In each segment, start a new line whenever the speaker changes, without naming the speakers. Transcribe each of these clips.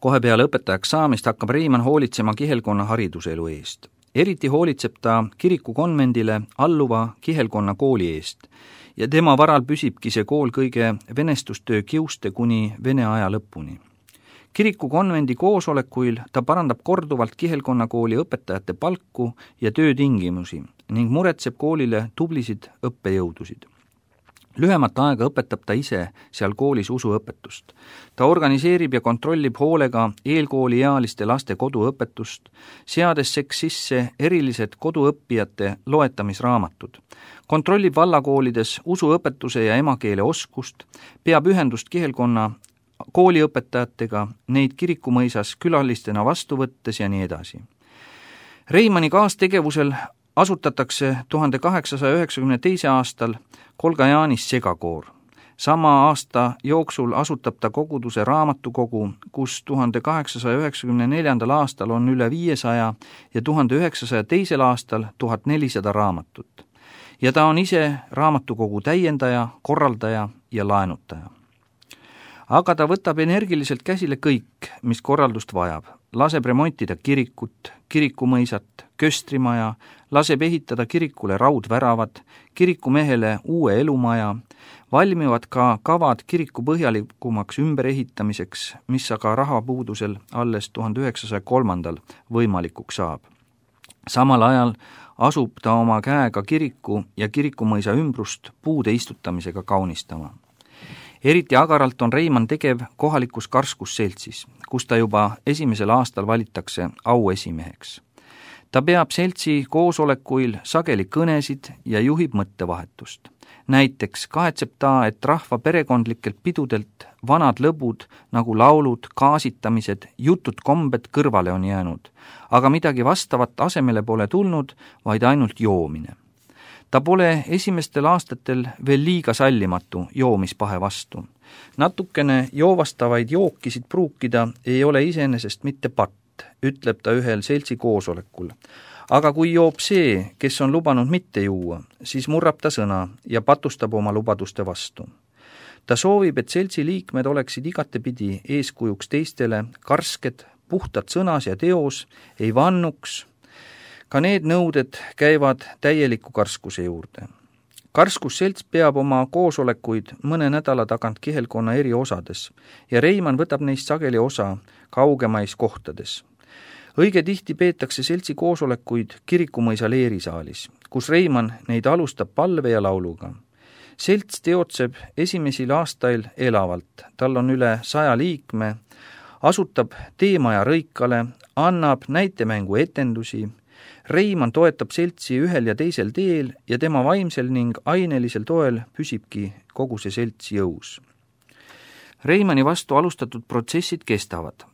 Kohe peale õpetajaks saamist hakkab Reimann hoolitsema kihelkonna hariduselu eest. Eriti hoolitseb ta kirikukonvendile alluva kihelkonna kooli eest ja tema varal püsibki see kool kõige venestustöö kiuste kuni Vene aja lõpuni. Kirikukonvendi koosolekuil ta parandab korduvalt kihelkonnakooli õpetajate palku ja töötingimusi ning muretseb koolile tublisid õppejõudusid. Lühemat aega õpetab ta ise seal koolis usuõpetust. Ta organiseerib ja kontrollib hoolega eelkooliealiste laste koduõpetust, seades sisse erilised koduõppijate loetamisraamatud. Kontrollib vallakoolides usuõpetuse ja emakeele oskust, peab ühendust kihelkonna kooliõpetajatega, neid kirikumõisas külalistena vastu võttes ja nii edasi. Reimanni kaastegevusel asutatakse 1892. aastal Kolga-Jaanis segakoor. Sama aasta jooksul asutab ta koguduse raamatukogu, kus 1894. aastal on üle 500 ja 1902. aastal 1400 raamatut. Ja ta on ise raamatukogu täiendaja, korraldaja ja laenutaja. Aga ta võtab energiliselt käsile kõik, mis korraldust vajab. Laseb remontida kirikut, kirikumõisat, köstrimaja, laseb ehitada kirikule raudväravad, kirikumehele uue elumaja, valmivad ka kavad kiriku põhjalikumaks ümberehitamiseks, mis aga rahapuudusel alles 1903. võimalikuks saab. Samal ajal asub ta oma käega kiriku ja kirikumõisa ümbrust puude istutamisega kaunistama. Eriti agaralt on Reimann tegev kohalikus karskusseltsis, kus ta juba esimesel aastal valitakse auesimeheks. Ta peab seltsi koosolekuil sageli kõnesid ja juhib mõttevahetust. Näiteks kahetseb ta, et rahva perekondlikelt pidudelt vanad lõbud nagu laulud, kaasitamised, jutud kombed kõrvale on jäänud, aga midagi vastavat asemele pole tulnud, vaid ainult joomine. Ta pole esimestel aastatel veel liiga sallimatu joomispahe vastu. Natukene joovastavaid jookisid pruukida ei ole iseenesest mitte patt, ütleb ta ühel seltsi koosolekul. Aga kui joob see, kes on lubanud mitte juua, siis murrab ta sõna ja patustab oma lubaduste vastu. Ta soovib, et seltsi liikmed oleksid igatepidi eeskujuks teistele, karsked, puhtad sõnas ja teos, ei vannuks. Ka need nõuded käivad täieliku karskuse juurde. Karskusselts peab oma koosolekuid mõne nädala tagant kihelkonna eri osades ja Reimann võtab neist sageli osa kaugemais kohtades. Õige tihti peetakse seltsi koosolekuid kirikumõisa leerisaalis, kus Reimann neid alustab palve ja lauluga. Selts teotseb esimesel aastail elavalt, tal on üle 100 liikme, asutab teemaja Rõikale, annab näitemängu etendusi. Reimann toetab seltsi ühel ja teisel teel ja tema vaimsel ning ainelisel toel püsibki kogu see selts jõus. Reimanni vastu alustatud protsessid kestavad.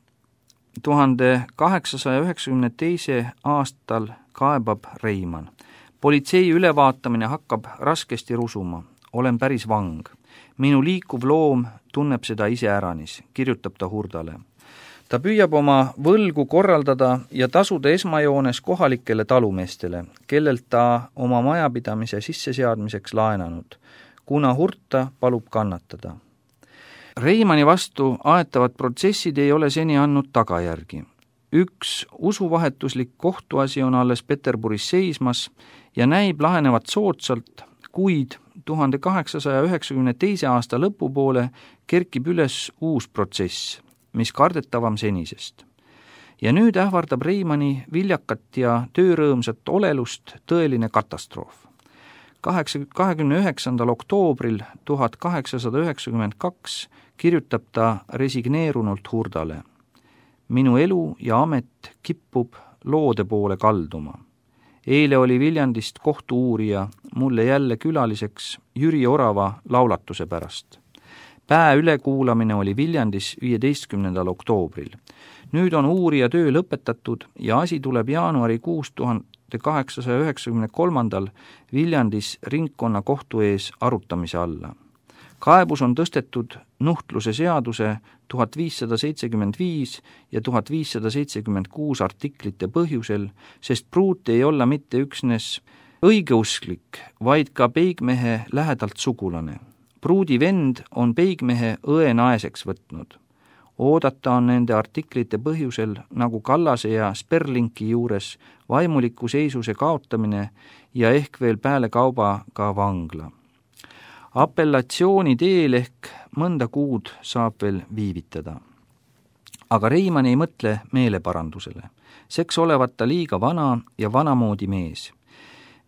1892. aastal kaebab Reimann. Politsei ülevaatamine hakkab raskesti rusuma. Olen päris vang. Minu liikuv loom tunneb seda iseäranis, kirjutab ta Hurdale. Ta püüab oma võlgu korraldada ja tasuda esmajoones kohalikele talumeestele, kellelt ta oma majapidamise sisseseadmiseks laenanud, kuna Hurta palub kannatada. Reimanni vastu aetavad protsessid ei ole seni andnud tagajärgi. Üks usuvahetuslik kohtuasi on alles Peterburis seismas ja näib lahenevat soodsalt, kuid 1892. aasta lõpupoole kerkib üles uus protsess, mis kardetavam senisest. Ja nüüd ähvardab Reimanni viljakat ja töörõõmsat olelust tõeline katastroof. 29. oktoobril 1892 kirjutab ta resigneerunult Hurdale. Minu elu ja amet kippub loode poole kalduma. Eile oli Viljandist kohtu-uurija mulle jälle külaliseks Jüri Orava laulatuse pärast. Päe ülekuulamine oli Viljandis 15. oktoobril. Nüüd on uurija töö lõpetatud ja asi tuleb jaanuarikuus 1893. Viljandis ringkonna kohtu ees arutamise alla. Kaebus on tõstetud nuhtluse seaduse 1575 ja 1576 artiklite põhjusel, sest pruut ei olla mitte üksnes õigeusklik, vaid ka peigmehe lähedalt sugulane. Pruudi vend on peigmehe õe naeseks võtnud. Oodata on nende artiklite põhjusel nagu Kallase ja Sperlinki juures vaimuliku seisuse kaotamine ja ehk veel pealekauba ka vangla. Apellatsiooni teel ehk mõnda kuud saab veel viivitada. Aga Reimann ei mõtle meeleparandusele. Seks olevat ta liiga vana ja vanamoodi mees.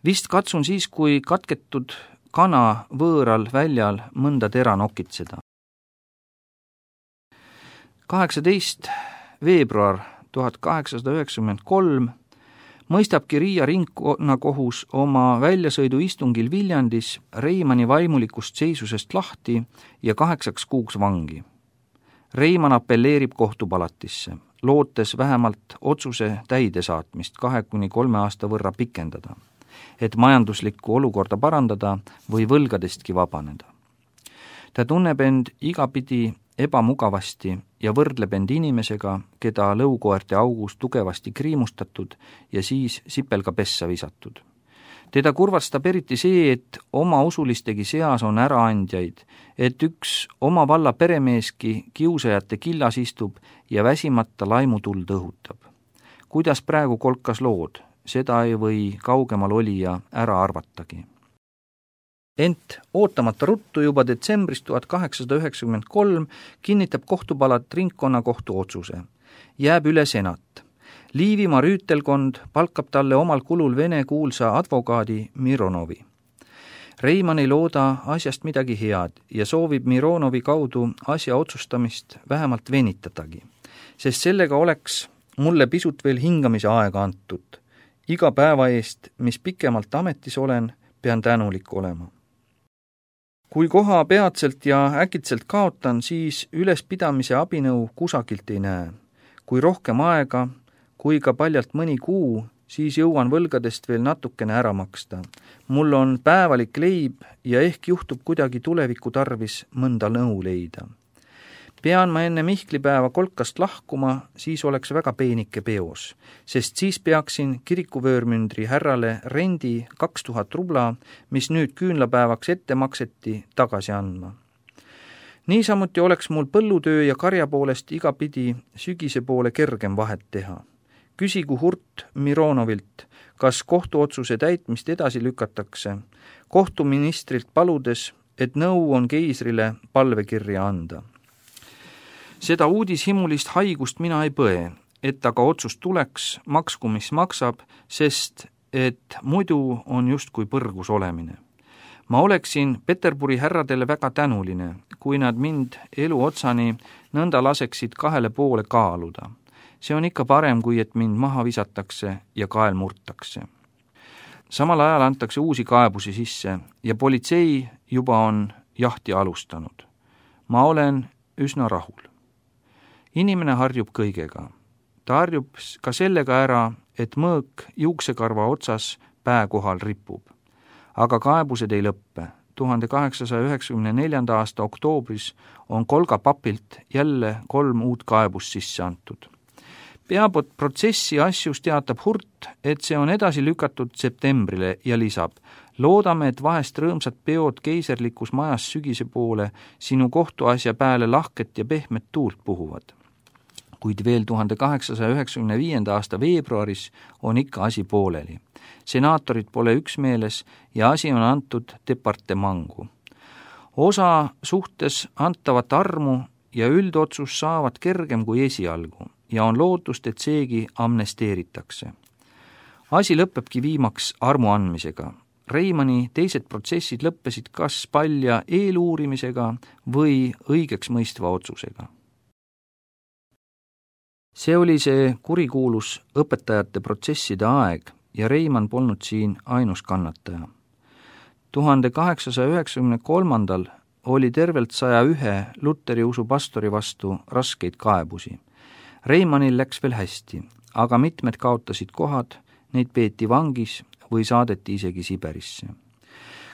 Vist katsun siis, kui katketud kana võõral väljal mõnda tera nokitseda. 18. veebruar 1893 mõistabki Riia ringkonnakohus oma väljasõiduistungil Viljandis Reimanni vaimulikust seisusest lahti ja 8 kuuks vangi. Reimann apelleerib kohtupalatisse, lootes vähemalt otsuse täidesaatmist 2-3 aasta võrra pikendada, et majanduslikku olukorda parandada või võlgadestki vabaneda. Ta tunneb end igapidi ebamugavasti ja võrdleb end inimesega, keda lõukoerte augus tugevasti kriimustatud ja siis sipelga pessa visatud. Teda kurvastab eriti see, et oma usulistegi seas on äraandjaid, et üks oma valla peremeeski kiusajate killas istub ja väsimata laimutuld õhutab. Kuidas praegu kolkas lood, seda ei või kaugemal olija ära arvatagi. Ent ootamata ruttu juba detsembris 1893 kinnitab kohtupalat ringkonnakohtu otsuse. Jääb üle senat. Liivimaa rüütelkond palkab talle omal kulul Vene kuulsa advokaadi Mironovi. Reimann ei looda asjast midagi head ja soovib Mironovi kaudu asja otsustamist vähemalt venitadagi, sest sellega oleks mulle pisut veel hingamise aega antud. Iga päeva eest, mis pikemalt ametis olen, pean tänulik olema. Kui koha peatselt ja äkitselt kaotan, siis ülespidamise abinõu kusagilt ei näe. Kui rohkem aega, kui ka paljalt mõni kuu, siis jõuan võlgadest veel natukene ära maksta. Mul on päevalik leib ja ehk juhtub kuidagi tuleviku tarvis mõnda nõu leida. Pean ma enne Mihklipäeva kolkast lahkuma, siis oleks väga peenike peos, sest siis peaksin kirikuvöörmündri härrale rendi 2000 rubla, mis nüüd küünlapäevaks ette makseti, tagasi andma. Niisamuti oleks mul põllutöö ja karja poolest igapidi sügise poole kergem vahet teha. Küsigu Hurt Mironovilt, kas kohtuotsuse täitmist edasi lükatakse, kohtuministrilt paludes, et nõu on keisrile palvekirja anda. Seda uudishimulist haigust mina ei põe, et aga otsus tuleks, maksku mis maksab, sest et muidu on justkui põrgus olemine. Ma oleksin Peterburi härradele väga tänuline, kui nad mind elu otsani nõnda laseksid 2 poole kaaluda. See on ikka parem, kui et mind maha visatakse ja kael murtakse. Samal ajal antakse uusi kaebusi sisse ja politsei juba on jahti alustanud. Ma olen üsna rahul. Inimene harjub kõigega. Ta harjub ka sellega ära, et mõõk juuksekarva otsas pää kohal ripub. Aga kaebused ei lõppe. 1894. aasta oktoobris on Kolga papilt jälle 3 uut kaebust sisse antud. Peaprotsessi asjus teatab Hurt, et see on edasi lükatud septembrile ja lisab: loodame, et vahest rõõmsad peod keiserlikus majas sügise poole sinu kohtuasja pääle lahket ja pehmet tuult puhuvad. Kuid veel 1895. aasta veebruaris on ikka asi pooleli. Senaatorid pole üksmeeles ja asi on antud departemangu. Osa suhtes antavat armu ja üldotsus saavad kergem kui esialgu ja on lootust, et seegi amnesteeritakse. Asi lõpebki viimaks armu andmisega. Reimanni teised protsessid lõppesid kas palja eeluurimisega või õigeks mõistva otsusega. See oli see kurikuulus õpetajate protsesside aeg ja Reimann polnud siin ainus kannataja. 1893. oli tervelt 101 Luteri usu pastori vastu raskeid kaebusi. Reimannil läks veel hästi, aga mitmed kaotasid kohad, neid peeti vangis või saadeti isegi Siberisse.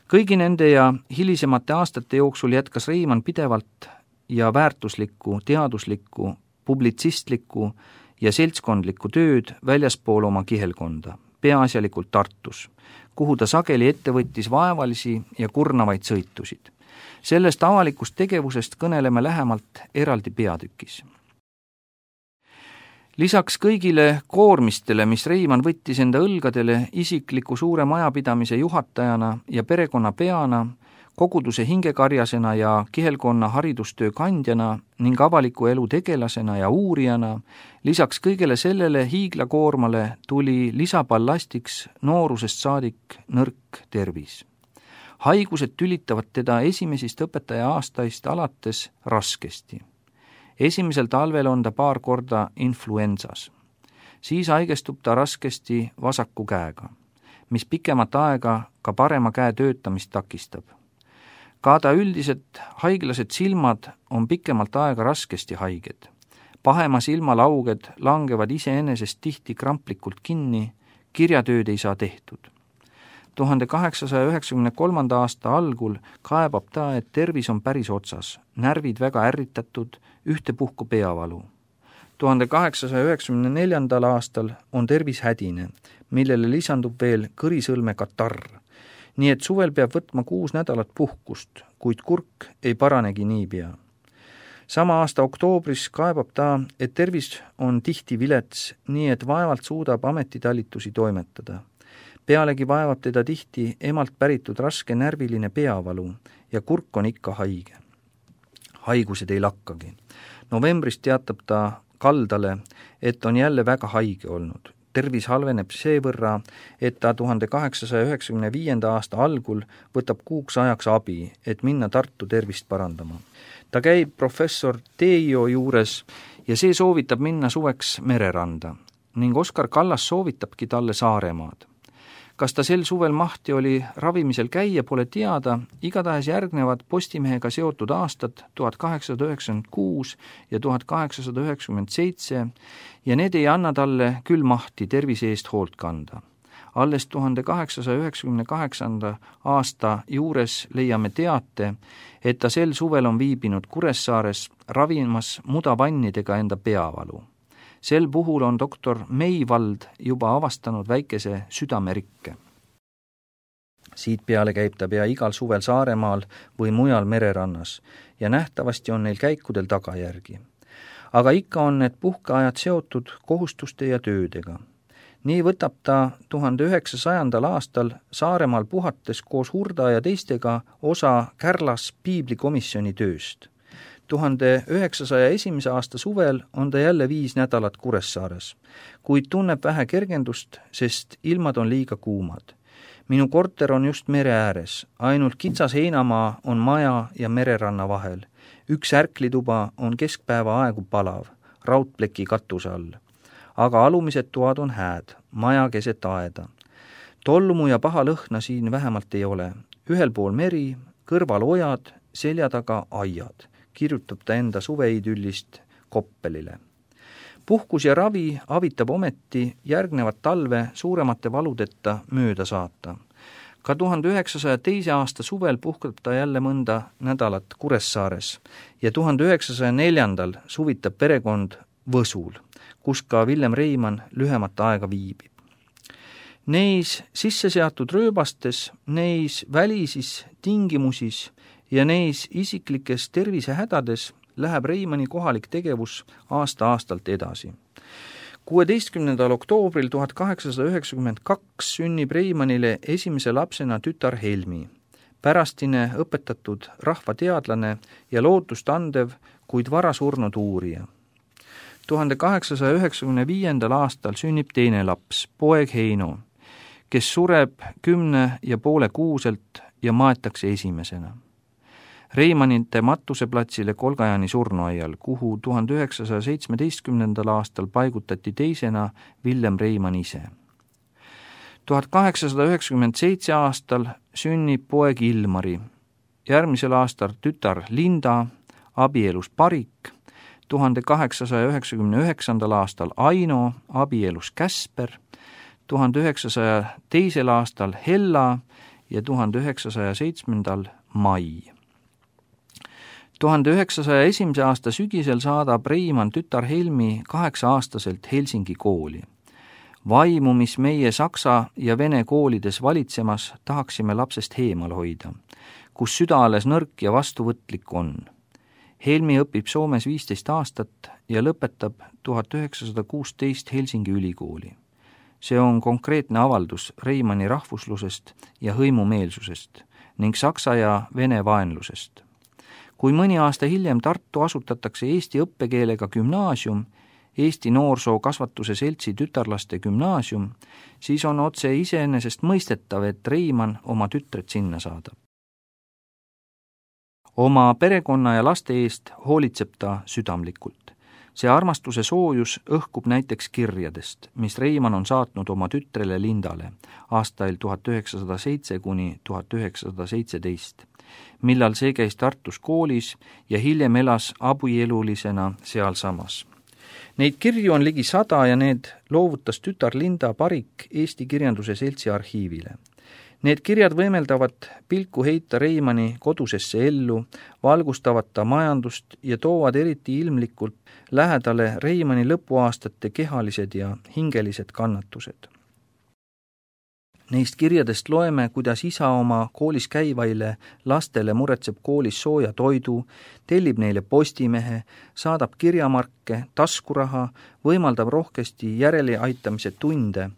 Kõigi nende ja hilisemate aastate jooksul jätkas Reimann pidevalt ja väärtuslikku, teaduslikku, publitsistlikku ja seltskondlikku tööd väljaspool oma kihelkonda, peaasjalikult Tartus, kuhu ta sageli ette võttis vaevalisi ja kurnavaid sõitusid. Sellest avalikust tegevusest kõneleme lähemalt eraldi peatükis. Lisaks kõigile koormistele, mis Reimann võttis enda õlgadele isikliku suure majapidamise juhatajana ja perekonna peana, koguduse hingekarjasena ja kihelkonna haridustöö kandjana ning avaliku elu tegelasena ja uurijana, lisaks kõigele sellele hiiglakoormale tuli lisaballastiks noorusest saadik nõrk tervis. Haigused tülitavad teda esimesist õpetaja aastaist alates raskesti. Esimesel talvel on ta paar korda influensas. Siis haigestub ta raskesti vasaku käega, mis pikemat aega ka parema käe töötamist takistab. Ka ta üldiselt haiglased silmad on pikemalt aega raskesti haiged. Pahema silmalauged langevad iseenesest tihti kramplikult kinni, kirjatööd ei saa tehtud. 1893. aasta algul kaebab ta, et tervis on päris otsas, närvid väga ärritatud, ühtepuhku peavalu. 1894. aastal on tervis hädine, millele lisandub veel kõrisõlme katarr. Nii et suvel peab võtma 6 nädalat puhkust, kuid kurk ei paranegi niipea. Sama aasta oktoobris kaebab ta, et tervis on tihti vilets, nii et vaevalt suudab ametitalitusi toimetada. Pealegi vaevab teda tihti emalt päritud raske närviline peavalu ja kurk on ikka haige. Haigused ei lakkagi. Novembris teatab ta kaldale, et on jälle väga haige olnud. Tervis halveneb seevõrra, et ta 1895. aasta algul võtab kuuks ajaks abi, et minna Tartu tervist parandama. Ta käib professor Teio juures ja see soovitab minna suveks mereranda ning Oskar Kallas soovitabki talle Saaremaad. Kas ta sel suvel mahti oli ravimisel käia, pole teada, igatahes järgnevad Postimehega seotud aastad 1896 ja 1897 ja need ei anna talle küll mahti tervise eest hoolt kanda. Alles 1898. aasta juures leiame teate, et ta sel suvel on viibinud Kuressaares ravimas mudavannidega enda peavalu. Sel puhul on doktor Meivald juba avastanud väikese südamerikke. Siit peale käib ta pea igal suvel Saaremaal või mujal mererannas ja nähtavasti on neil käikudel tagajärgi. Aga ikka on need puhkeajad seotud kohustuste ja töödega. Nii võtab ta 1900. aastal Saaremaal puhates koos Hurda ja teistega osa Kärlas piiblikomisjoni tööst. 1901. aasta suvel on ta jälle 5 nädalat Kuressaares, kuid tunneb vähe kergendust, sest ilmad on liiga kuumad. Minu korter on just mere ääres, ainult kitsas heinamaa on maja ja mereranna vahel. Üks ärklituba on keskpäeva aegu palav, raudpleki katuse all. Aga alumised toad on hääd, maja keset aeda. Tolmu ja paha lõhna siin vähemalt ei ole. Ühel pool meri, kõrval ojad, selja taga aiad. Kirjutab ta enda suveidyllist Koppelile. Puhkus ja ravi avitab ometi järgnevat talve suuremate valudeta mööda saata. Ka 1902. aasta suvel puhkab ta jälle mõnda nädalat Kuressaares ja 1904. suvitab perekond Võsul, kus ka Villem Reimann lühemat aega viibib. Neis sisse seatud rööbastes, neis välisis tingimusis ja neis isiklikes tervisehädades läheb Reimanni kohalik tegevus aasta-aastalt edasi. 16. oktoobril 1892 sünnib Reimannile esimese lapsena tütar Helmi, pärastine õpetatud rahvateadlane ja lootust andev, kuid vara surnud uurija. 1895. aastal sünnib teine laps, poeg Heino, kes sureb 10,5 kuuselt ja maetakse esimesena. Reimannite matuseplatsile Kolgajani surnuaial, kuhu 1917. aastal paigutati teisena Villem Reimann ise. 1897. aastal sünnib poeg Ilmari, järgmisel aastal tütar Linda, abielus Parik, 1899. aastal Aino, abielus Käsper, 1902. aastal Hella ja 1907. Mai. 1901. aasta sügisel saadab Reimann tütar Helmi 8-aastaselt Helsingi kooli. Vaimu, mis meie saksa ja vene koolides valitsemas, tahaksime lapsest heemal hoida, kus süda alles nõrk ja vastuvõtlik on. Helmi õpib Soomes 15 aastat ja lõpetab 1916 Helsingi ülikooli. See on konkreetne avaldus Reimanni rahvuslusest ja hõimumeelsusest ning saksa ja vene vaenlusest. Kui mõni aasta hiljem Tartu asutatakse eesti õppekeelega gümnaasium, Eesti Noorsoo Kasvatuse Seltsi tütarlaste gümnaasium, siis on otse iseenesest mõistetav, et Reimann oma tütred sinna saadab. Oma perekonna ja laste eest hoolitseb ta südamlikult. See armastuse soojus õhkub näiteks kirjadest, mis Reimann on saatnud oma tütrele Lindale aastail 1907 kuni 1917, millal see käis Tartus koolis ja hiljem elas abielulisena sealsamas. Neid kirju on ligi 100 ja need loovutas tütar Linda Parik Eesti Kirjanduse Seltsi arhiivile. Need kirjad võimeldavad pilku heita Reimanni kodusesse ellu, valgustavad ta majandust ja toovad eriti ilmlikult lähedale Reimanni lõpuaastate kehalised ja hingelised kannatused. Neist kirjadest loeme, kuidas isa oma koolis käivaile lastele muretseb koolis sooja toidu, tellib neile postimehe, saadab kirjamarke, taskuraha, võimaldab rohkesti järeleaitamise tunde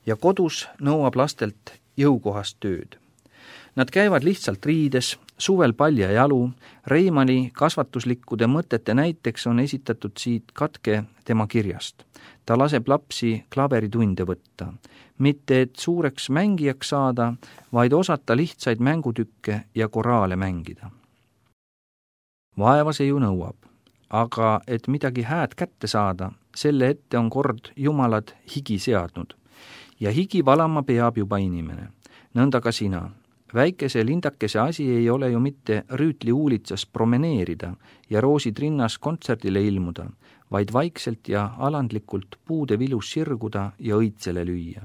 ja kodus nõuab lastelt jõukohast tööd. Nad käivad lihtsalt riides, suvel paljajalu, Reimanni kasvatuslikkude mõtete näiteks on esitatud siit katke tema kirjast. Ta laseb lapsi klaveritunde võtta, mitte et suureks mängijaks saada, vaid osata lihtsaid mängutükke ja koraale mängida. Vaeva see ju nõuab, aga et midagi hääd kätte saada, selle ette on kord jumalad higi seadnud. Ja higi valama peab juba inimene. Nõnda ka sina. Väikese lindakese asi ei ole ju mitte Rüütli uulitsas promeneerida ja roosid rinnas kontserdile ilmuda, vaid vaikselt ja alandlikult puude vilus sirguda ja õitsele lüüa.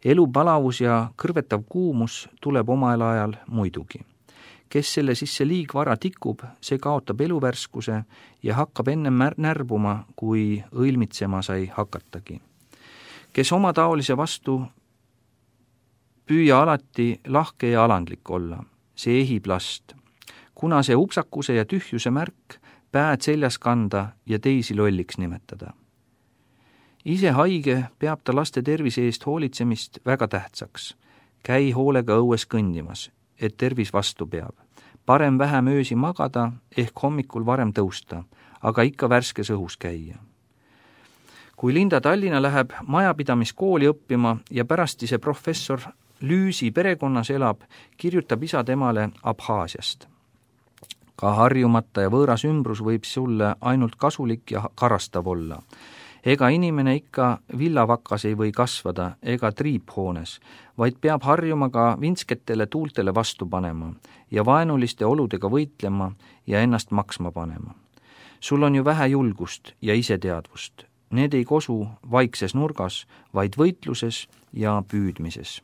Elu palavus ja kõrvetav kuumus tuleb omal ajal muidugi. Kes selle sisse liigvara tikub, see kaotab eluvärskuse ja hakkab ennem närbuma, kui õilmitsema sai hakatagi. Kes oma taolise vastu püüa alati lahke ja alandlik olla, see ehib last. Kuna see upsakuse ja tühjuse märk, pääd seljas kanda ja teisi lolliks nimetada. Ise haige peab ta laste tervise eest hoolitsemist väga tähtsaks. Käi hoolega õues kõndimas, et tervis vastu peab. Parem vähem öösi magada ehk hommikul varem tõusta, aga ikka värskes õhus käia. Kui Linda Tallinna läheb majapidamiskooli õppima ja pärastise professor Lüüsi perekonnas elab, kirjutab isa temale Abhaasiast. Ka harjumata ja võõras ümbrus võib sulle ainult kasulik ja karastav olla. Ega inimene ikka villavakas ei või kasvada ega triiphoones, vaid peab harjuma ka vinsketele tuultele vastu panema ja vaenuliste oludega võitlema ja ennast maksma panema. Sul on ju vähe julgust ja iseteadvust. Need ei kosu vaikses nurgas, vaid võitluses ja püüdmises.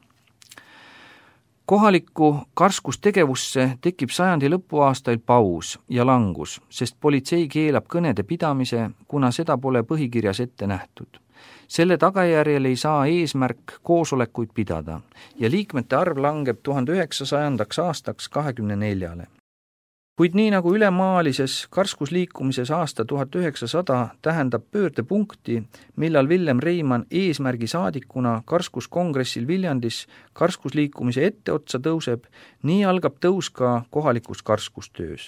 Kohalikku karskustegevusse tekib sajandi lõpuaastail paus ja langus, sest politsei keelab kõnede pidamise, kuna seda pole põhikirjas ette nähtud. Selle tagajärjel ei saa eesmärk koosolekuid pidada ja liikmete arv langeb 1900. aastaks 24. Kuid nii nagu ülemaalises karskusliikumises aasta 1900 tähendab pöördepunkti, millal Villem Reimann eesmärgi saadikuna karskuskongressil Viljandis karskusliikumise etteotsa tõuseb, nii algab tõus ka kohalikus karskustöös.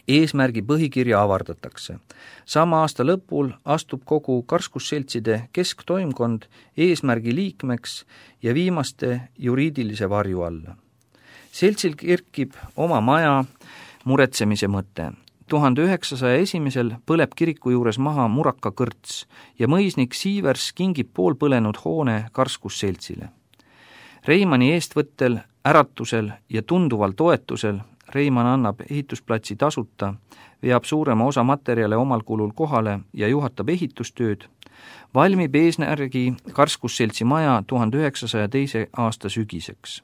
Eesmärgi põhikirja avardatakse. Sama aasta lõpul astub kogu karskusseltside kesktoimkond eesmärgi liikmeks ja viimaste juriidilise varju alla. Seltsil kerkib oma maja muretsemise mõte. 1901 põleb kiriku juures maha Muraka kõrts ja mõisnik Siivers kingib poolpõlenud hoone karskusseltsile. Reimanni eestvõttel, äratusel ja tunduval toetusel Reimann annab ehitusplatsi tasuta, veab suurema osa materjale omal kulul kohale ja juhatab ehitustööd, valmib eesmärgi karskusseltsi maja 1902. aasta sügiseks.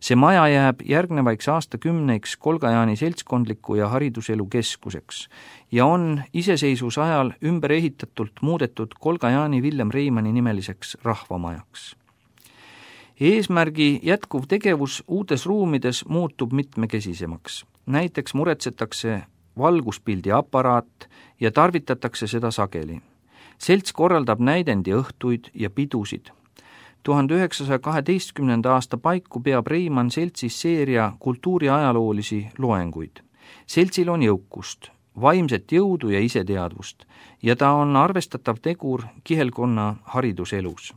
See maja jääb järgnevaiks aastakümneiks Kolgajaani seltskondliku ja hariduselu keskuseks ja on iseseisvuse ajal ümber ehitatult muudetud Kolgajaani Villem Reimanni nimeliseks rahvamajaks. Eesmärgi jätkuv tegevus uutes ruumides muutub mitmekesisemaks. Näiteks muretsetakse valguspildi aparaat ja tarvitatakse seda sageli. Selts korraldab näidendiõhtuid ja pidusid. 1912. aasta paiku peab Reimann seltsis seeria kultuuriajaloolisi loenguid. Seltsil on jõukust, vaimset jõudu ja iseteadvust ja ta on arvestatav tegur kihelkonna hariduselus.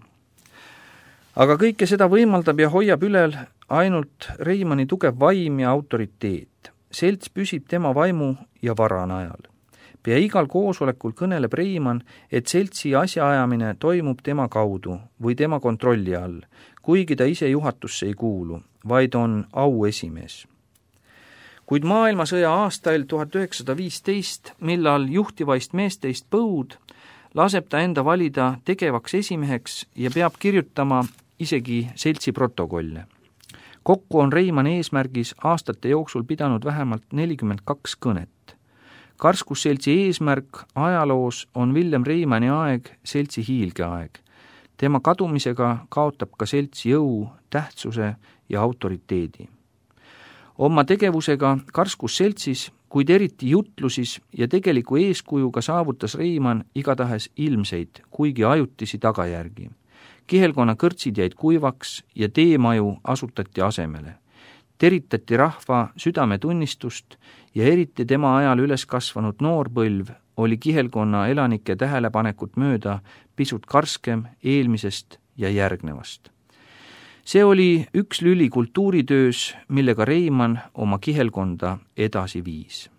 Aga kõike seda võimaldab ja hoiab ülel ainult Reimanni tugev vaim ja autoriteet. Selts püsib tema vaimu ja vara najal. Pea igal koosolekul kõneleb Reimann, et seltsi asjaajamine toimub tema kaudu või tema kontrolli all, kuigi ta ise juhatusse ei kuulu, vaid on auesimees. Kuid maailmasõja aastail 1915, millal juhtivaist meesteist põud, laseb ta enda valida tegevaks esimeheks ja peab kirjutama isegi seltsi protokolle. Kokku on Reimann eesmärgis aastate jooksul pidanud vähemalt 42 kõnet. Karskusseltsi eesmärk ajaloos on Villem Reimanni aeg seltsi hiilgeaeg. Tema kadumisega kaotab ka selts jõu, tähtsuse ja autoriteedi. Oma tegevusega Karskusseltsis, kuid eriti jutlusis ja tegeliku eeskujuga saavutas Reimann igatahes ilmseid, kuigi ajutisi tagajärgi. Kihelkonna kõrtsid jäid kuivaks ja teemaju asutati asemele. Teritati rahva südametunnistust ja eriti tema ajal üles kasvanud noorpõlv oli kihelkonna elanike tähelepanekut mööda pisut karskem eelmisest ja järgnevast. See oli üks lüli kultuuritöös, millega Reimann oma kihelkonda edasi viis.